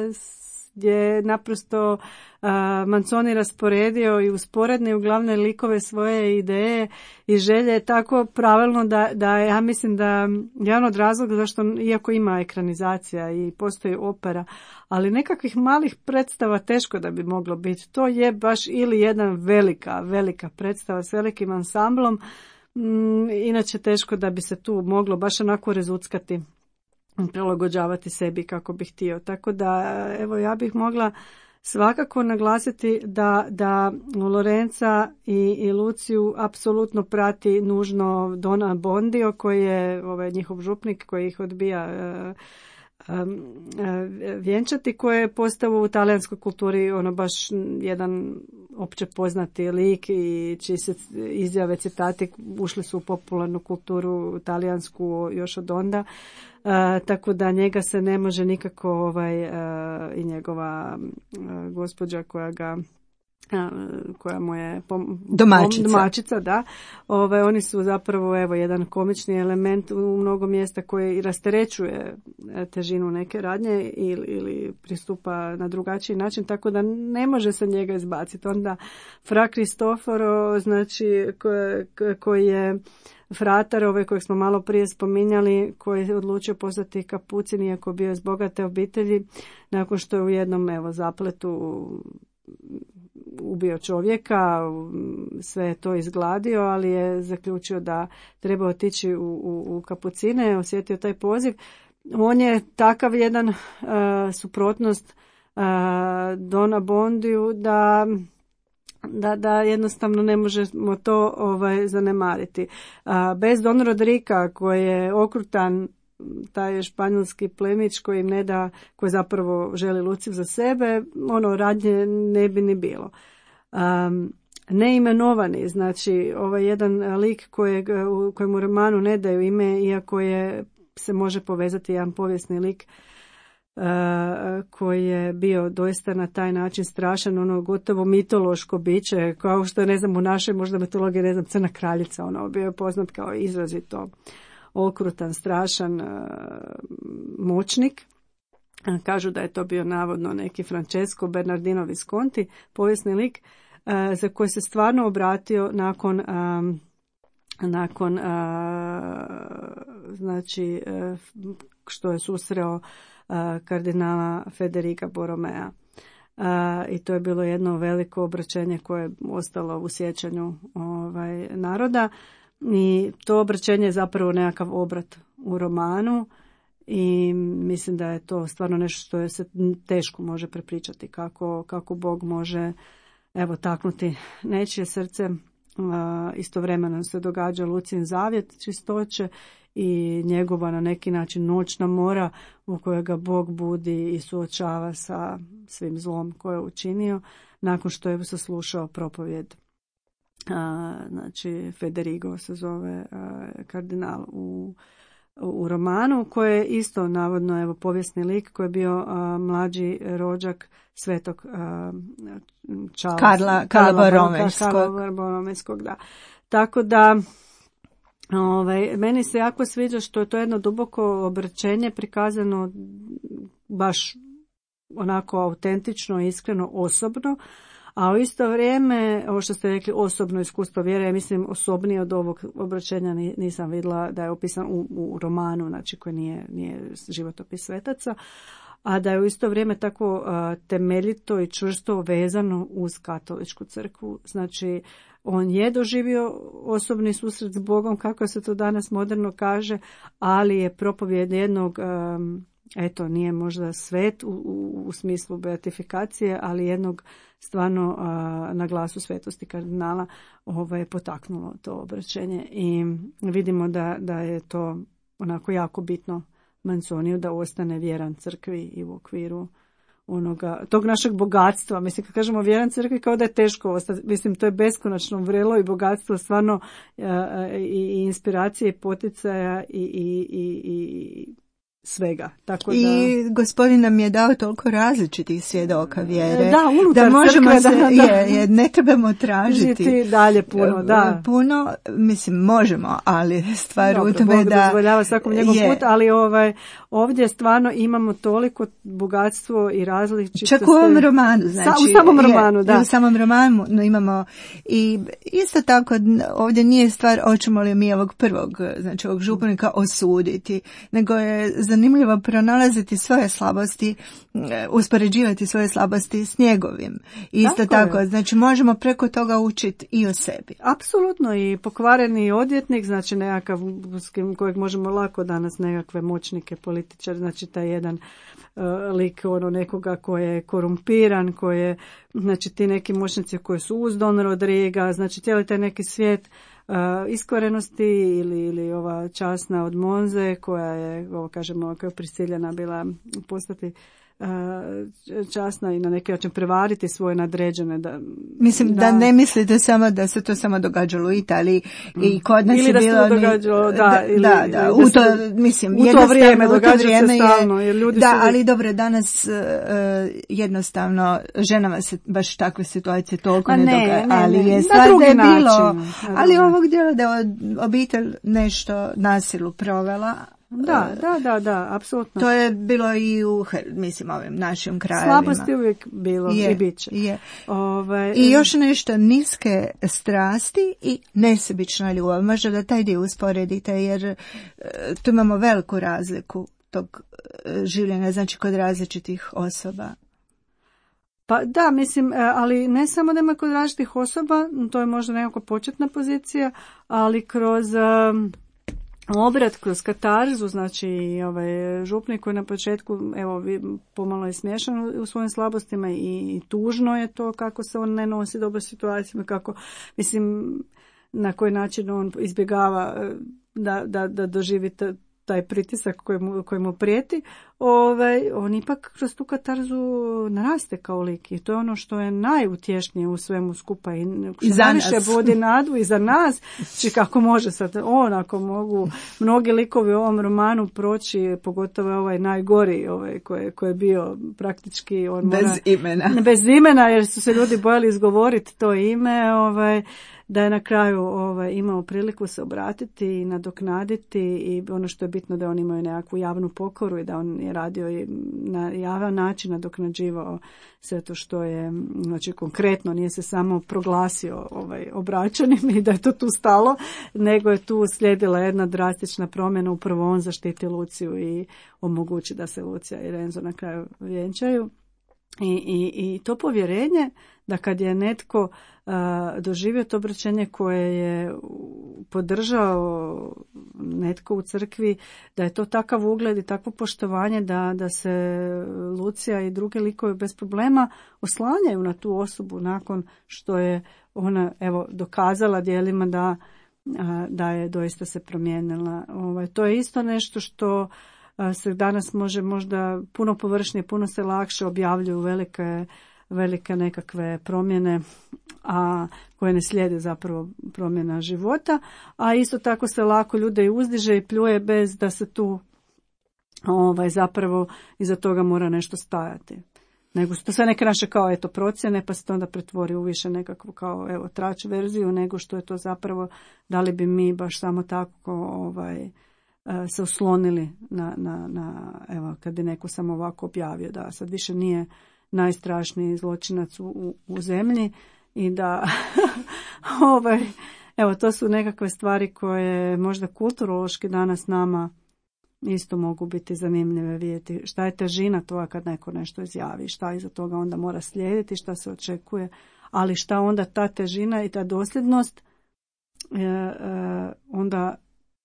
gdje je naprosto a, Manzoni rasporedio i usporedni u glavne likove svoje ideje i želje tako pravilno da, da ja mislim da jedan od razloga zašto, iako ima ekranizacija i postoji opera, ali nekakvih malih predstava teško da bi moglo biti. To je baš ili jedna velika, velika predstava s velikim ansamblom, mm, inače teško da bi se tu moglo baš onako rezuckati, prilagođavati sebi kako bih htio. Tako da, evo, ja bih mogla svakako naglasiti da, da Lorenza i, i Luciju apsolutno prati nužno Don Abbondio, koji je ovaj, njihov župnik koji ih odbija uh, vjenčati, koje je postao u talijanskoj kulturi ono baš jedan opće poznati lik i čiji se izjave, citati ušli su u popularnu kulturu talijansku još od onda. Uh, tako da njega se ne može nikako ovaj, uh, i njegova uh, gospođa koja ga koja mu je pom- domaćica. domaćica, da. Ove, oni su zapravo evo jedan komični element u mnogo mjesta koji rasterećuje težinu neke radnje ili, ili pristupa na drugačiji način, tako da ne može se njega izbaciti. Onda Fra Cristoforo, znači koji, koji je fratar, ovaj kojeg smo malo prije spominjali, koji je odlučio postati kapucin iako bio iz bogate obitelji, nakon što je u jednom evo zapletu ubio čovjeka, sve je to izgladio, ali je zaključio da treba otići u, u, u kapucine, osjetio taj poziv. On je takav jedan uh, suprotnost uh, Don Abbondiju da, da, da jednostavno ne možemo to ovaj, zanemariti. Uh, bez Don Rodrika koji je okrutan, taj španjolski plemić koji im ne da, koji zapravo želi Luciju za sebe, ono radnje ne bi ni bilo. Um, neimenovani, znači ovaj jedan lik kojeg, u kojem u romanu ne daju ime, iako je se može povezati jedan povijesni lik uh, koji je bio doista na taj način strašan, ono gotovo mitološko biće, kao što je, ne znam, u našoj možda mitologiji, ne znam, Crna kraljica, ono bio je poznat kao izrazito okrutan, strašan uh, moćnik. Kažu da je to bio navodno neki Francesco Bernardino Visconti, povijesni lik uh, za koji se stvarno obratio nakon um, nakon uh, znači uh, što je susreo uh, kardinala Federica Borromea. Uh, I to je bilo jedno veliko obraćenje koje je ostalo u sjećanju ovaj, naroda. I to obraćenje je zapravo nekakav obrat u romanu i mislim da je to stvarno nešto što je se teško može prepričati, kako, kako Bog može evo taknuti nečije srce. Istovremeno se događa Lucijin zavjet čistoće i njegova na neki način noćna mora u kojoj ga Bog budi i suočava sa svim zlom koje je učinio nakon što je saslušao propovjed. A, znači Federigo se zove a, kardinal u, u romanu, koji je isto navodno evo povijesni lik koji je bio a, mlađi rođak svetog a, Charles, Karla, Karla Boromejskog, da. Tako da ovaj, meni se jako sviđa što je to jedno duboko obraćenje prikazano baš onako autentično, iskreno, osobno. A u isto vrijeme, ovo što ste rekli, osobno iskustvo vjere, ja mislim osobnije od ovog obraćenja nisam vidjela da je opisan u, u romanu, znači koji nije, nije životopis svetaca, a da je u isto vrijeme tako a, temeljito i čvrsto vezano uz katoličku crkvu. Znači, on je doživio osobni susret s Bogom, kako se to danas moderno kaže, ali je propovjed jednog... A, eto, nije možda svet u, u, u smislu beatifikacije, ali jednog stvarno a, na glasu svetosti kardinala ovaj, je potaknulo to obraćenje i vidimo da, da je to onako jako bitno Manzoniju da ostane vjeran crkvi i u okviru onoga, tog našeg bogatstva. Mislim, kad kažemo vjeran crkvi, kao da je teško ostati. Mislim, to je beskonačno vrelo i bogatstvo stvarno a, i, i inspiracije i poticaja i, i, i, i svega. Tako da... I gospodin nam je dao toliko različitih svjedoka vjere. Da, unutar da možemo crkve, se, da, da. Je, je, ne trebamo tražiti Žiti dalje puno, da. Puno, mislim, možemo, ali stvar Dobro, u tome Bog da... dozvoljava svakom njegov je, put, ali ovaj, ovdje stvarno imamo toliko bogatstvo i različitosti. Čak u ovom romanu, znači. Sa, u samom romanu, je, da. U samom romanu imamo i isto tako ovdje nije stvar hoćemo li mi ovog prvog, znači ovog županika osuditi, nego je zanimljivo pronalaziti svoje slabosti, uspoređivati svoje slabosti s njegovim. Isto tako, tako znači možemo preko toga učiti i o sebi. Apsolutno, i pokvareni odvjetnik, znači nekakav kojeg možemo lako danas nekakve moćnike, političari, znači taj jedan uh, lik ono nekoga koji je korumpiran, koji je, znači ti neki moćnici koji su uz Don Rodriga, znači cijeli taj neki svijet Uh, iskvarenosti ili, ili ova časna od Monze koja je, ovo kažemo, kao prisiljena bila postati uh, časna i na neki način prevariti svoje nadređene. Da, Mislim da, da ne mislite samo da se to samo događalo u Italiji i kod nas ili je da bilo... se to događalo, da, da, ili, da, da, u to, mislim, u to vrijeme događa vrijeme se stalno. Jer ljudi da, su... ali dobro, danas uh, jednostavno ženama se baš takve situacije toliko A ne, ne događa, ne, ali ne, je na stvar drugi da je način. bilo, Na ali drugi. ovog dijela da je obitelj nešto nasilu provela. Da, da, da, da, apsolutno. To je bilo i u, mislim, ovim našim krajevima. Slabosti uvijek bilo je, i bit će. Je. Ove, I još nešto, niske strasti i nesebična ljubav. Možda da taj dio usporedite, jer e, tu imamo veliku razliku tog e, življenja, znači kod različitih osoba. Pa da, mislim, ali ne samo da ima kod različitih osoba, to je možda nekako početna pozicija, ali kroz um, obrat, kroz katarzu, znači ovaj župnik koji na početku, evo, pomalo je smiješan u svojim slabostima i, i tužno je to kako se on ne nosi dobro situacijama, kako, mislim, na koji način on izbjegava da, da, da doživi taj pritisak koji mu, koji mu prijeti, ovaj, on ipak kroz tu katarzu naraste kao lik i to je ono što je najutješnije u svemu skupa i što najviše vodi nadu i za nas, či kako može sad on, ako mogu mnogi likovi u ovom romanu proći, pogotovo ovaj najgori ovaj, koji, koji je bio praktički on bez mora, imena bez imena jer su se ljudi bojali izgovoriti to ime, ovaj, da je na kraju ovaj, imao priliku se obratiti i nadoknaditi i ono što je bitno da on imao nekakvu javnu pokoru i da on je radio i na javan način nadoknađivao sve to što je, znači konkretno nije se samo proglasio ovaj, obraćanim i da je to tu stalo, nego je tu slijedila jedna drastična promjena, upravo on zaštiti Luciju i omogući da se Lucija i Renzo na kraju vjenčaju. I, i, i to povjerenje da kad je netko uh, doživio to obraćenje koje je podržao netko u crkvi, da je to takav ugled i takvo poštovanje da, da se Lucija i druge likove bez problema oslanjaju na tu osobu nakon što je ona evo dokazala djelima da, uh, da je doista se promijenila. Ovaj, to je isto nešto što se danas može možda puno površnije, puno se lakše objavljuju velike, velike nekakve promjene, a koje ne slijede zapravo promjena života, a isto tako se lako ljude i uzdiže i pljuje bez da se tu ovaj, zapravo iza toga mora nešto stajati. Nego su to sve neke naše kao eto procjene, pa se to onda pretvori u više nekakvu kao evo trač verziju, nego što je to zapravo, da li bi mi baš samo tako ovaj se oslonili na, na, na, evo, kad bi neko samo ovako objavio da sad više nije najstrašniji zločinac u, u, u zemlji i da, ovaj, evo, to su nekakve stvari koje možda kulturološki danas nama isto mogu biti zanimljive vidjeti. Šta je težina toga kad neko nešto izjavi, šta iza toga onda mora slijediti, šta se očekuje, ali šta onda ta težina i ta dosljednost e, e, onda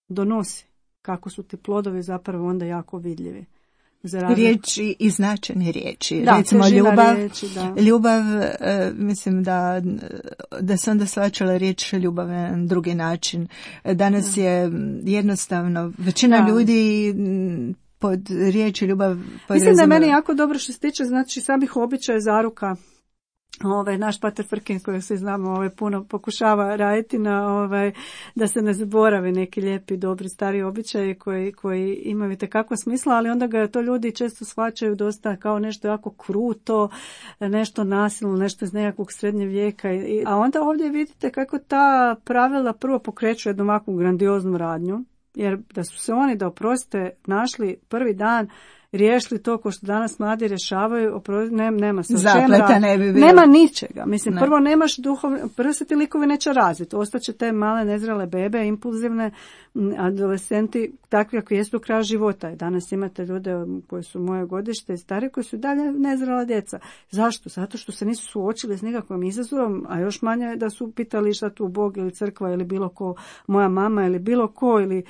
donosi. Kako su ti plodovi zapravo onda jako vidljivi. Riječi i značajne riječi. Da, recimo ljubav, riječi, da. ljubav e, mislim da, da se onda svačala riječ ljubav na drugi način. Danas da. je jednostavno, većina da. ljudi pod riječi ljubav mislim da je meni jako dobro što se tiče znači samih običaja zaruka Ovaj, naš pater Frkin, kojeg svi znamo, ovaj, puno pokušava raditi na ovaj, da se ne zaboravi neki lijepi, dobri, stari običaji koji, koji imaju itekako smisla, ali onda ga to ljudi često shvaćaju dosta kao nešto jako kruto, nešto nasilno, nešto iz nekakvog srednjeg vijeka. I, a onda ovdje vidite kako ta pravila prvo pokreću jednu ovakvu grandioznu radnju, jer da su se oni, da oprostite, našli prvi dan, riješili to ko što danas mladi rješavaju, ne, nema se zapleta ne bi bilo. Nema ničega. Mislim, ne. Prvo nemaš duhovne, prvo se ti likovi neće razviti. Ostaće te male nezrele bebe, impulzivne, adolescenti, takvi kako jesu do kraja života. I danas imate ljude koji su moje godište i stari koji su dalje nezrela djeca. Zašto? Zato što se nisu suočili s nekakvim izazovom, a još manje da su pitali šta tu Bog ili crkva ili bilo ko, moja mama ili bilo ko ili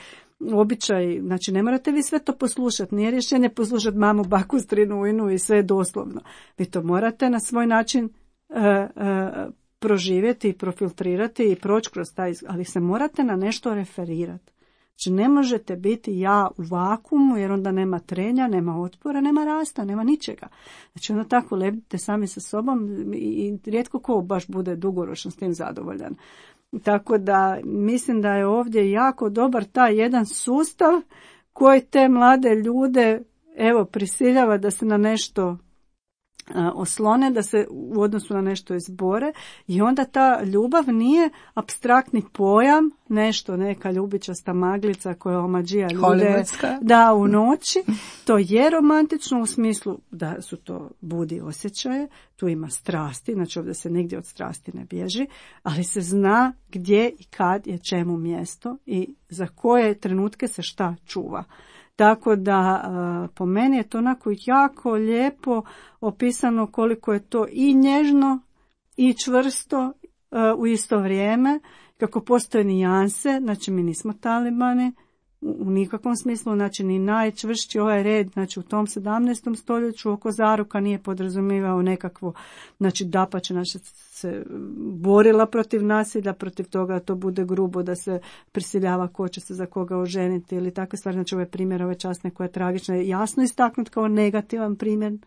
običaj, znači ne morate vi sve to poslušati, nije rješenje poslušati mamu, baku, strinu, ujnu i sve doslovno. Vi to morate na svoj način uh, uh, proživjeti i profiltrirati i proći kroz taj, ali se morate na nešto referirati. Znači ne možete biti ja u vakuumu jer onda nema trenja, nema otpora, nema rasta, nema ničega. Znači onda tako lebdite sami sa sobom i, i rijetko ko baš bude dugoročno s tim zadovoljan. Tako da mislim da je ovdje jako dobar taj jedan sustav koji te mlade ljude evo prisiljava da se na nešto a, oslone, da se u odnosu na nešto izbore i onda ta ljubav nije apstraktni pojam, nešto, neka ljubičasta maglica koja omađija ljude da u noći. To je romantično u smislu da su to budi osjećaje, tu ima strasti, znači ovdje se nigdje od strasti ne bježi, ali se zna gdje i kad je čemu mjesto i za koje trenutke se šta čuva. Tako da po meni je to onako jako lijepo opisano koliko je to i nježno i čvrsto u isto vrijeme, kako postoje nijanse, znači mi nismo talibani u nikakvom smislu, znači ni najčvršći ovaj red, znači u tom sedamnaestom stoljeću oko zaruka nije podrazumijevao nekakvo, znači dapače naša se borila protiv nasilja, protiv toga da to bude grubo, da se prisiljava ko će se za koga oženiti ili takve stvari, znači ove primjere, ove časne koje je tragično je jasno istaknut kao negativan primjer.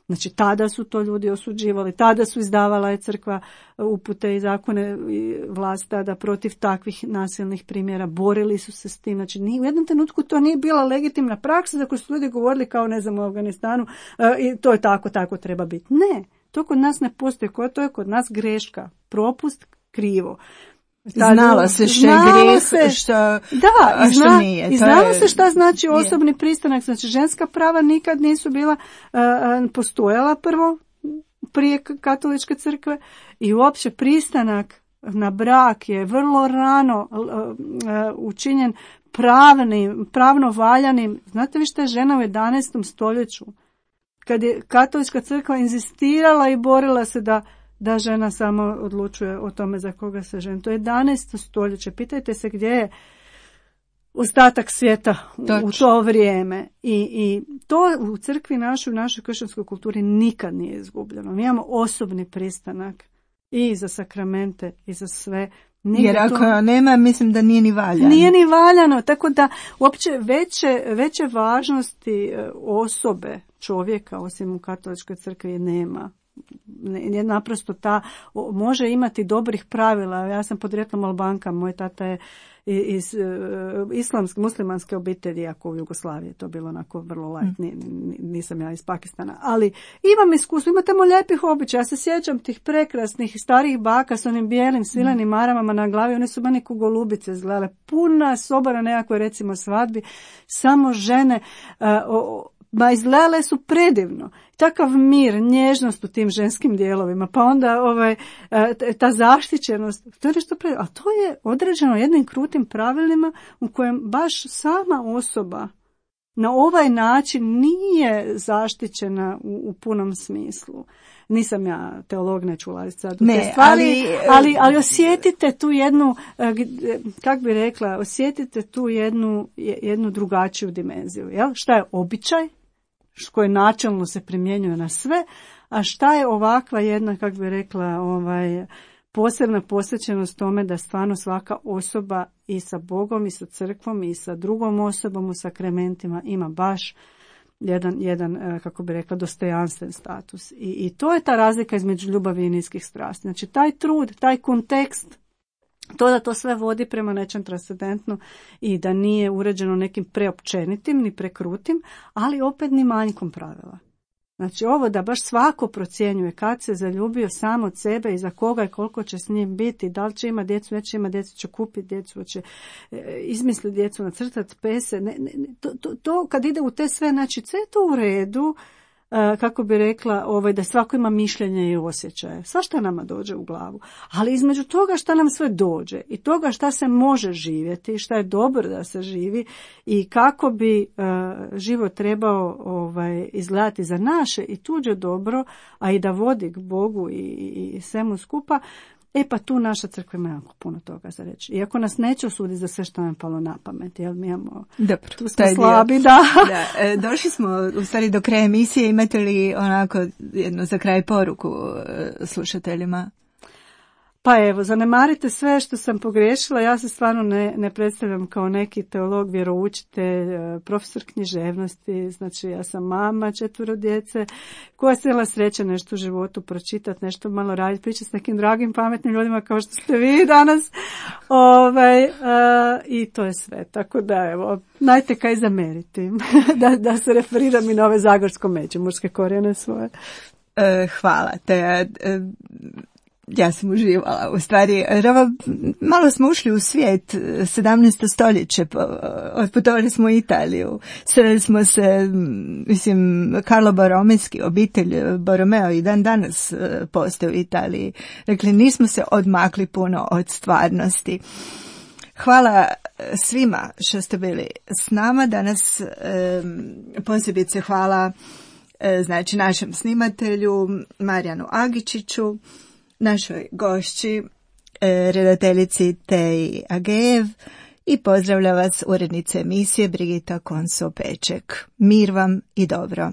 Znači, tada su to ljudi osuđivali, tada su izdavala je crkva upute i zakone i vlast tada protiv takvih nasilnih primjera, borili su se s tim. Znači, ni, u jednom trenutku to nije bila legitimna praksa za koju su ljudi govorili kao, ne znam, u Afganistanu e, i to je tako, tako treba biti. Ne, to kod nas ne postoji, to je kod nas greška, propust, krivo. Znalo se što je grijeh, što, da, a što zna, nije. I znalo je, se šta znači osobni je. pristanak. Znači ženska prava nikad nisu bila uh, postojala prvo prije katoličke crkve i uopće pristanak na brak je vrlo rano uh, uh, učinjen pravnim, pravno valjanim. Znate vi šta je žena u jedanaestom stoljeću? Kad je katolička crkva inzistirala i borila se da da žena samo odlučuje o tome za koga se ženi. To je jedanaesto stoljeće. Pitajte se gdje je ostatak svijeta u, u to vrijeme. I, I to u crkvi našoj, u našoj kršćanskoj kulturi nikad nije izgubljeno. Mi imamo osobni pristanak i za sakramente i za sve. Nije Jer ako to nema, mislim da nije ni valjano. Nije ni valjano, tako da uopće veće, veće važnosti osobe čovjeka, osim u katoličkoj crkvi, nema. Je naprosto ta, može imati dobrih pravila. Ja sam podrijetlom Albanka, moj tata je iz islamske, muslimanske obitelji, jako u Jugoslaviji je to bilo onako vrlo light, nisam ja iz Pakistana, ali imam iskustvo, ima tamo lijepih običaja. Ja se sjećam tih prekrasnih starih baka s onim bijelim svilenim maramama na glavi, one su meni ko golubice izgledale, puna soba na nekakvoj recimo svadbi, samo žene, uh, o, ma izgledale su predivno. Takav mir, nježnost u tim ženskim dijelovima, pa onda ovaj, ta zaštićenost, to je nešto predivno. A to je određeno jednim krutim pravilima u kojem baš sama osoba na ovaj način nije zaštićena u, u punom smislu. Nisam ja teolog, neću ulaziti sad u ne, te stvari, ali, ali, ali osjetite tu jednu, kak bi rekla, osjetite tu jednu, jednu drugačiju dimenziju. Jel? Šta je običaj? Koje načelno se primjenjuje na sve, a šta je ovakva jedna, kako bi rekla, ovaj, posebna posvećenost tome da stvarno svaka osoba i sa Bogom i sa crkvom i sa drugom osobom u sakramentima ima baš jedan, jedan kako bi rekla, dostojanstven status. I, i to je ta razlika između ljubavi i niskih strasti. Znači, taj trud, taj kontekst, to da to sve vodi prema nečem transcendentnom i da nije uređeno nekim preopćenitim ni prekrutim, ali opet ni manjkom pravila. Znači, ovo da baš svako procjenjuje kad se zaljubio sam od sebe i za koga i koliko će s njim biti, da li će ima djecu, neće ima djecu, će kupiti djecu, će e, izmisliti djecu, nacrtati pese. Ne, ne, to, to, to kad ide u te sve, znači sve to u redu, e, kako bi rekla, ovaj, da svako ima mišljenje i osjećaje. Svašta nama dođe u glavu. Ali između toga šta nam sve dođe i toga šta se može živjeti, šta je dobro da se živi i kako bi e, život trebao ovaj, izgledati za naše i tuđe dobro, a i da vodi k Bogu i, i, i svemu skupa, e pa tu naša crkva ima jako puno toga za reći. Iako nas neće osuditi za sve što nam je palo na pamet, jer mi imamo, dobro, tu smo slabi, da. da. E, došli smo u stvari do kraja emisije, imate li onako jednu za kraj poruku e, slušateljima? Pa evo, zanemarite sve što sam pogriješila, ja se stvarno ne, ne predstavljam kao neki teolog, vjeroučitelj, profesor književnosti, znači ja sam mama četvero djece, koja se imala sreće nešto u životu pročitati, nešto malo raditi, pričati s nekim dragim, pametnim ljudima kao što ste vi danas, ovaj, uh, i to je sve, tako da evo, najte kaj zameriti, da, da se referiram i na ove zagorsko-međimurske korijene svoje. E, hvala te. E, Ja sam uživala, u stvari, Rova, malo smo ušli u svijet, sedamnaesto stoljeće, otputovali smo u Italiju, sreli smo se, mislim, Carlo Borromejski, obitelj Borromeo i dan danas postoje u Italiji. Dakle, nismo se odmakli puno od stvarnosti. Hvala svima što ste bili s nama danas, posebice hvala znači našem snimatelju Marijanu Agičiću, našoj gošći, redateljici Teji Agejev i pozdravlja vas urednica emisije Brigita Konso-Peček. Mir vam i dobro.